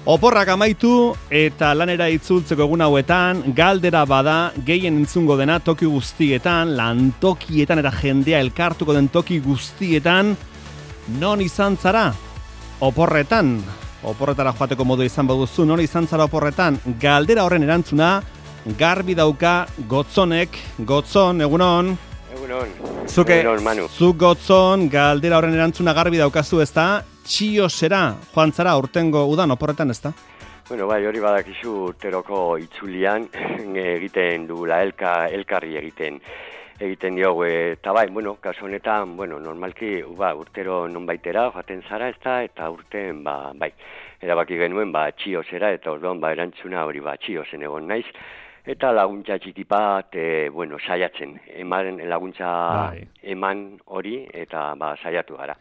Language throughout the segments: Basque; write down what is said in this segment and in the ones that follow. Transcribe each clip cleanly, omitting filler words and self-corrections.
Oporrak amaitu eta lanera itzultzeko egun hauetan, galdera bada gehien entzungo dena toki guztietan, lantokietan eta jendea elkartuko den toki guztietan, non izan zara? Oporretan, oporretara joateko modu izan baduzu, non izan zara oporretan? Galdera horren erantzuna, garbi dauka Gotzonek. Gotzon, egunon. Egunon, Manu. Zuk Gotzon, galdera horren erantzuna garbi daukazu, ezta? Txiosera, joan zara urtengo udan oporretan, ezta? Bueno, bai, hori badakizu urteroko itzulian egiten dugula, elkarri egiten diogu, eta bai, bueno, kasu honetan, bueno, normalki, urtero nonbaitera joaten zara, ezta, eta urten, bai, erabaki genuen, txiosera, eta orduan, erantzuna hori, txiosen egon naiz, eta laguntza txiki bat, saiatzen, laguntza eman hori, eta saiatu gara.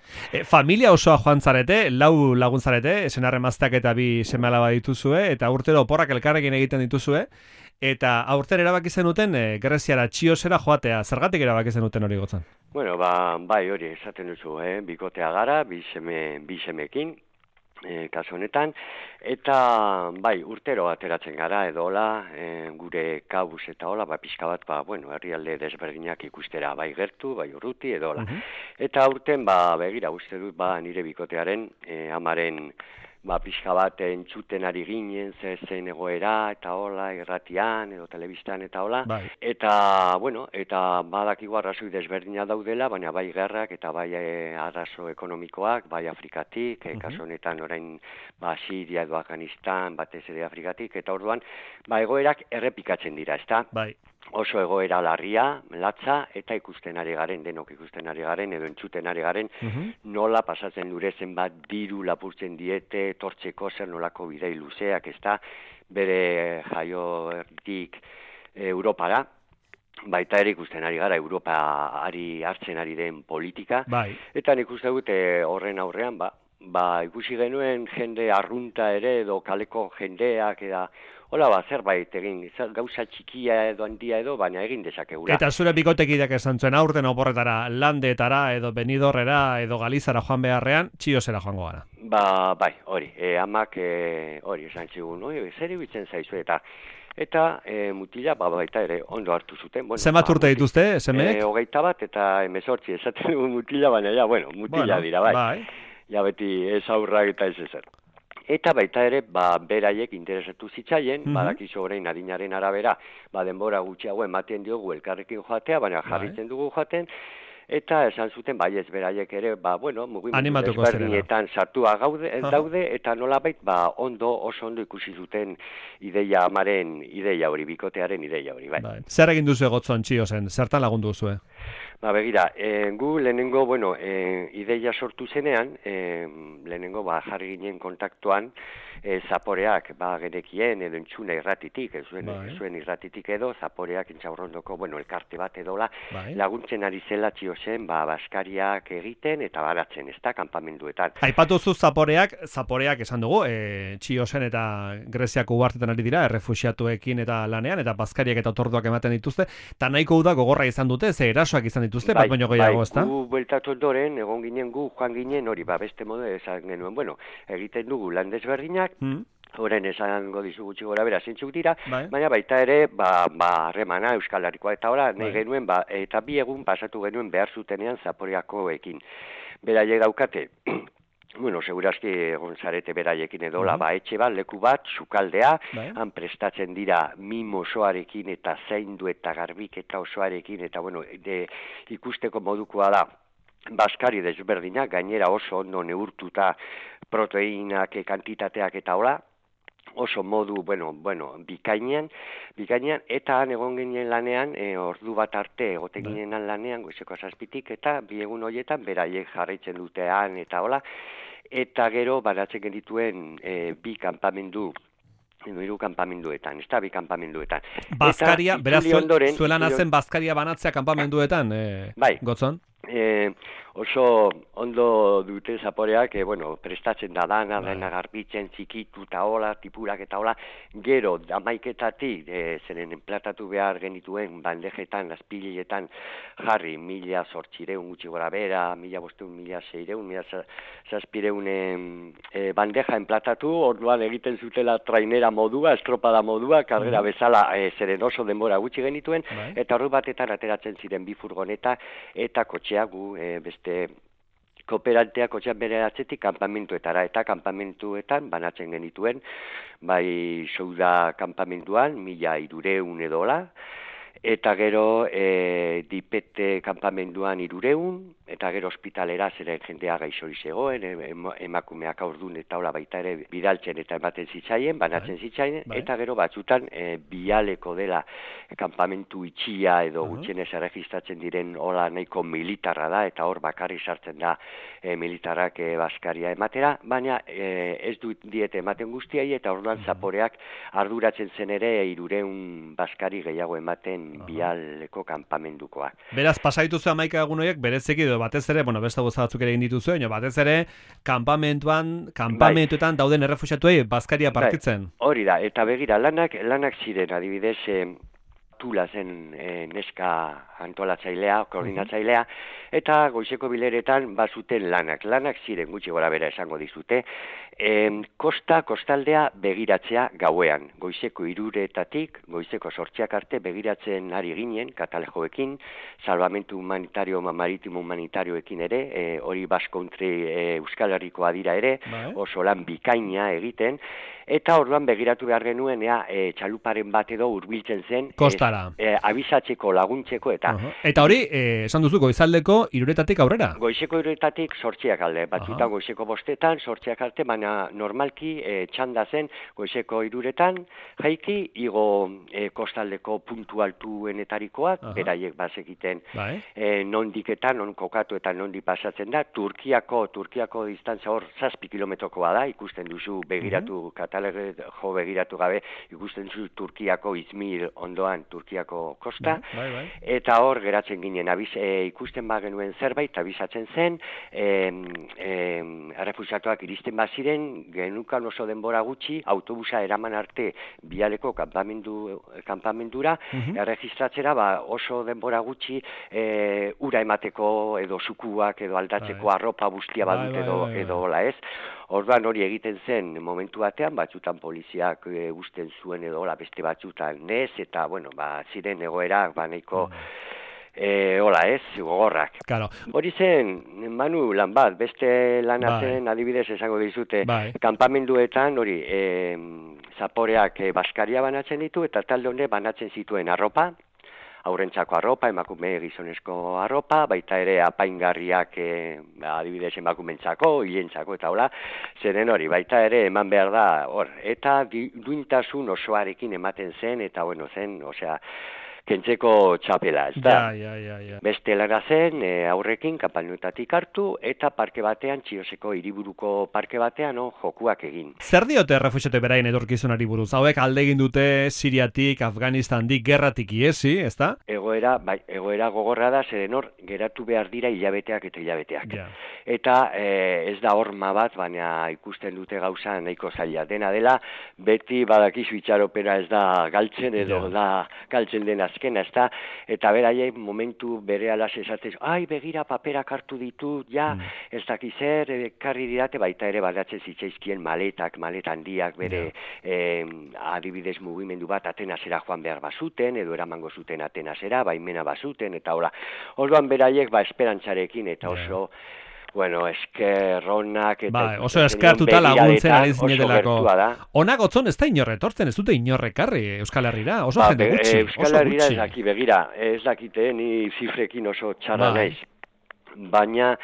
Familia osoa joan zarete, 4 lagun zarete, senarremazteak eta 2 seme-alaba dituzue, eta urtero oporrak elkarrekin egiten dituzue, eta aurten erabaki zenuten Greziara Txiosera joatea, zergatik erabaki zenuten hori Gotzon? Bueno, bai hori esaten duzu, bikotea gara, 2 semeekin, kasu honetan, eta bai, urtero ateratzen gara edo hola, gure kabuz eta hola, pixka bat, herrialde desberdinak ikustera, bai gertu, bai urruti edo hola. Eta urten, begira, uste dut, nire bikotearen amaren pixka bat entzuten ari ginen, zein egoera, eta hola, irratian, edo telebistan, eta hola. Eta, eta badakigu arrazoi desberdina daudela, baina bai gerrak, eta bai arrazo ekonomikoak, bai Afrikatik, kasu honetan orain, Siria edo Afganistan, batez ere Afrikatik, eta orduan, egoerak errepikatzen dira, ezta? Bai. Oso egoera larria, latza, eta denok ikusten ari garen, edo entzuten ari garen, nola pasatzen dure zenbat diru lapurtzen diete, tortzeko zer nolako bidei luzeak, ezta, bere jaiotik Europara, baita ere ikusten ari gara, Europa hartzen ari den politika, eta nik uste dut horren aurrean, ikusi genuen jende arrunta ere, edo kaleko jendeak, hola, zerbait egin, gauza txikia edo handia edo, baina egin dezakegula. Eta zure bikotekideak esan zuen aurten oporretara, Landetara, edo Benidorrera, edo Galizara joan beharrean, Txiosera joango gara. Bai, hori, amak hori esan txigun, zer ibitzen zaizu eta mutila, baita ere, ondo hartu zuten. Zenbat urte dituzte, semeek? 21 eta 18, esaten dugu mutila, baina mutila dira, bai. Ja beti ez aurrak eta ez ezer. Eta baita ere, beraiek interesatu zitzaien, badakizu orain adinaren arabera, denbora gutxiago ematen diogu elkarrekin joatea, baina jarritzen dugu joaten, eta esan zuten, ez beraiek ere, mugimendu desberdinetan sartua daude, eta nolabait, oso ondo ikusi zuten amaren ideia hori, bikotearen ideia hori, bai. Zer egin duzu Gotzon Txiosen, zertan lagundu zuzue? Begira, gu lehenengo, ideia sortu zenean, lehenengo jarri ginen kontaktuan, zaporeak genekien edo entzuna irratitik, zuen irratitik edo, zaporeak intxaurrondoko, elkarte bat edola, laguntzen ari zela Txiosen, baskariak egiten eta baratzen, ez da, kanpamenduetan. Aipatuzu zaporeak esan dugu, Txiosen eta Greziako uhartetan ari dira, errefuxiatuekin eta lanean, eta baskariak eta otorduak ematen dituzte, eta nahiko uda gogorra izan dute, ze erasoak izan dituzte, bat baino gehiago, ez da? Gu bueltatu ondoren, egon ginen joan ginen, hori, beste modu esan genuen, egiten dugu lan desberdinak, horren esango dizu gutxi gora bera zintzuk dira, baina baita ere, harremana Euskal Herrikoa eta hola, nahi genuen, eta 2 egun pasatu genuen behar zutenean Zaporeakoekin. Beraiek daukate, segurazki egon zarete beraiekin edola, etxe bat, leku bat, sukaldea, han prestatzen dira mimo osoarekin eta zaindu eta garbiketa osoarekin, eta ikusteko modukoa da, baskari desberdinak, gainera oso ondo neurtuta proteinak, kantitateak eta hola, oso modu, bikainean, eta han egon ginen lanean, ordu bat arte egoten ginen lanean, goizeko 7:00, eta 2 egun horietan beraiek jarraitzen dutean, eta hola, eta gero baratzen genituen 2 kanpamendu, 3 kanpamenduetan, ez da, 2 kanpamenduetan. Baskaria, beraz, zuela nazen baskaria banatzea kanpamenduetan, Gotzon? oso ondo dute zaporeak, bueno, prestatzen da dana, dena garbitzen, txikitu eta hola, tipurak eta hola, gero, amaiketatik, zeren enplatatu behar genituen bandejetan, azpiletan jarri, 1.800 gutxi gora bera, 1.500, 1.600, 1.700 bandeja enplatatu, orduan egiten zutela trainera modua, estropada modua, karrera bezala, zeren oso denbora gutxi genituen, eta horru batetan ateratzen ziren bi furgoneta, eta kotxea gu, beste kooperantea kotxean bere atzetik kanpamentuetara, eta kanpamentuetan banatzen genituen, bai souda kanpamentuan, 1.300 edola, eta gero dipete kanpamenduan 300, eta gero ospitalera zeren jendea gaixori zegoen, emakumeak aurdun eta hola baita ere bidaltzen eta ematen zitzaien, banatzen zitzaien, eta gero batzutan bialeko dela kanpamentu itxia edo gutxienez erregistratzen diren hola nahiko militarra da, eta hor bakarri sartzen da militarrak baskaria ematera, baina ez dut diete ematen guztiai, eta orduan zaporeak arduratzen zen ere 300 baskari gehiago ematen bialeko kanpamendukoak. Beraz, pasaituzu 11 egun horiek bereziki edo batez ere, bueno, beste gauza batzuk ere egin dituzu, batez ere kanpamentuetan dauden errefuxiatuei bazkaria partitzen. Hori da, eta begira, lanak ziren, adibidez, Tula zen neska antolatzailea, koordinatzailea, eta goizeko bileretan bazuten lanak ziren gutxi gora bera esango dizute, kostaldea begiratzea gauean, goizeko 3:00 goizeko 8:00 arte begiratzen ari ginen, katalejoekin, salvamentu humanitario, maritimo humanitarioekin ere, hori Basque Country Euskal Herrikoa dira ere, oso lan bikaina egiten, eta orduan begiratu behar genuen, txaluparen bat edo hurbiltzen zen, kostara. Abisatzeko, laguntzeko, eta... Eta hori, esan duzu, goizaldeko 3:00 aurrera? Goizeko 3:00 8:00 alde, batzutan goizeko 5:00 8:00 arte, baina normalki txanda zen goizeko 3:00 jaiki, igo kostaldeko puntu altuenetarikoak, beraiek bazekiten nondiketan, non kokatu eta nondi pasatzen da, Turkiako distantzia hor 7 kilometrokoa da, ikusten duzu begiratu jo begiratu gabe, ikusten zu Turkiako Izmir ondoan Turkiako kosta, eta hor geratzen ginen, ikusten bagenuen zerbait, abisatzen zen, errefuxiatuak iristen baziren, genukan oso denbora gutxi, autobusa eraman arte bialeko kanpamendura, erregistratzera oso denbora gutxi ura emateko edo sukuak edo aldatzeko arropa bustia badut edo hola ez. Orduan hori egiten zen momentu batean, batzutan poliziak usten zuen edo beste batzutan nez, eta bueno, ziren egoerak nahiko hola ez, gogorrak. Hori zen, Manu, lan bat, beste lana zen, adibidez esango dizute, kanpamenduetan hori zaporeak baskaria banatzen ditu, eta talde honek banatzen zituen arropa, aurrentzako arropa, emakume gizonezko arropa, baita ere apaingarriak adibidez emakumentzako, hilentzako eta hola, zeren hori, baita ere eman behar da hor, eta duintasun osoarekin ematen zen, eta bueno zen, osea, kentzeko txapela, ez da? Beste lara zen, aurrekin kanpamentuetatik hartu, eta parke batean, Txioseko hiriburuko parke batean, jokuak egin. Zer diote errefuxiatu beraien etorkizunari buruz? Hauek alde egin dute Siriatik, Afganistandik, gerratik iesi, ez da? Egoera gogorra da, zeren hor, geratu behar dira hilabeteak eta hilabeteak. Eta ez da horma bat, baina ikusten dute gauza nahiko zaila. Dena dela, beti badakizu itxaropena ez da galtzen, edo da galtzen den azkena, ez da, eta beraiek momentu bere alaz esatez, begira paperak hartu ditut, ez dakizer, karri didate, baita ere badatzen zitzaizkien maleta handiak bere adibidez mugimendu bat Atenasera joan behar bazuten, edo eramango zuten Atenasera, baimena bazuten, eta hola. Orduan beraiek esperantzarekin, eta oso bueno, eskerronak eta oso eskertuta laguntzen ari zinetelako. Onak otzon ez da inorretortzen, ez dute inorrekarri Euskal Herrira, oso jende gutxi. Euskal Herrira ez daki, begira, ez dakite ni zifrekin oso txarra naiz. Baina,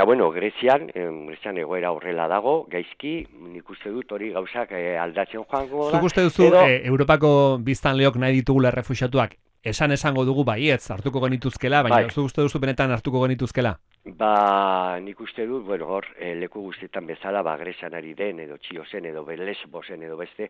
bueno, Grezian egoera horrela dago, gaizki, nik uste dut hori gauzak aldatzen joango da. Zuk uste duzu, Europako biztanleok nahi ditugula errefuxiatuak, esango dugu baietz hartuko genituzkela, baina zuk uste duzu benetan hartuko genituzkela? Nik uste dut, bueno, hor, leku guztietan bezala, Gresan ari den, edo Txiosen, edo Lesbosen, edo beste,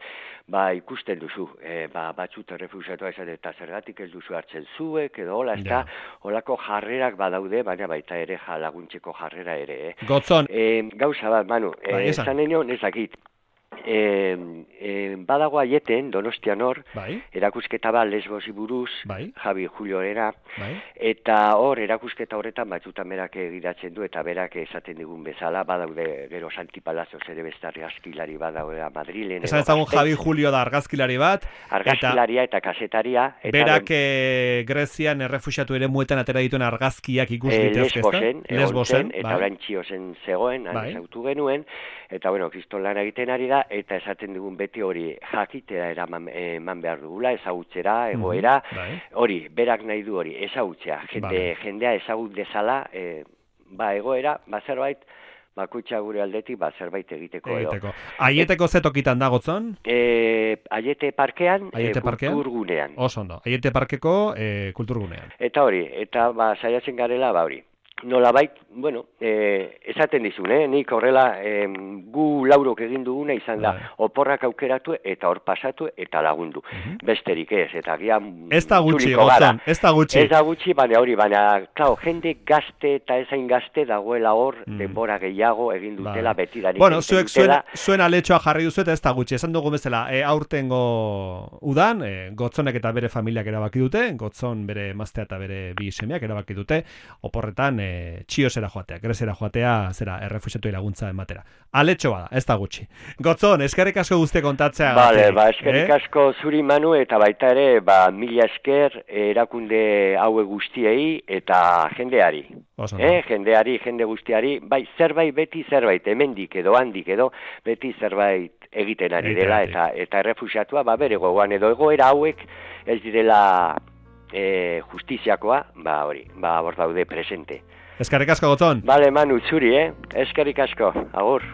ikusten duzu, batzut errefusiatua esan, eta zergatik ez duzu hartzen zuek, edo hola, ez da, holako jarrerak badaude, baina baita ere, laguntzeko jarrera ere, Gotzon. Gauza bat, Manu, esan enion ezakit, badago aieten, Donostian hor, erakusketa bat Lesbosi buruz, Javi Julioera, eta hor erakusketa horretan batzutan berak egiratzen du, eta berak esaten digun bezala, badaude gero Santi Palazos ere beste argazkilari badaude Madrilen. Esan ezagun Javi Julio da argazkilari bat. Argazkilaria eta kasetaria. Berak Grezian errefuxiatu ere muetan atera dituen argazkiak ikus ditezkezta. Lesbosen, eta orain Txiosen zegoen, ezautu genuen, eta bueno, kriston lan egiten ari da, eta esaten dugun beti hori jakitea eman behar dugula, ezagutzera, egoera, hori, berak nahi du hori, ezagutzea, jendea ezagut dezala, egoera, zerbait, bakoitza gure aldetik, zerbait egiteko edo. Aieteko zetokitan da Gotzon? Aiete parkean, kulturgunean. Oso ondo, Aiete parkeko kulturgunean. Eta hori, eta saiatzen garela, hori. Nolabait, bueno, esaten dizun, nik horrela gu laurok egin duguna izan da, oporrak aukeratu eta hor pasatu eta lagundu. Besterik ez, eta gian ez da gutxi, Gotzon, ez da gutxi. Ez da gutxi, baina, klaro, jende gazte eta ezain gazte dagoela hor, denbora gehiago egin dutela, betidanik. Bueno, zuek zuen aletxoa jarri duzu eta ez da gutxi, esan dugu bezala, aurtengo udan, Gotzonek eta bere familiak erabaki dute, Gotzon bere emaztea eta bere bi semeak erabaki dute, oporretan Txiosera joatea, Grezera joatea, errefuxiatu laguntza ematera. Aletxo bada, ez da gutxi. Gotzon, eskerrik asko guzti kontatzea. Bale, eskerrik asko zuri Manu, eta baita ere, mila esker erakunde haue guztiei eta jendeari. Jendeari, jende guztiari, zerbait, beti zerbait, hemendik edo handik edo, beti zerbait egiten ari dela, eta errefuxiatua, bere gogoan edo egoera hauek ez direla justiziakoa, hori, hor daude presente. Eskerrik asko, Gotzon. Bale, Manu, zuri, eskerrik asko, agur.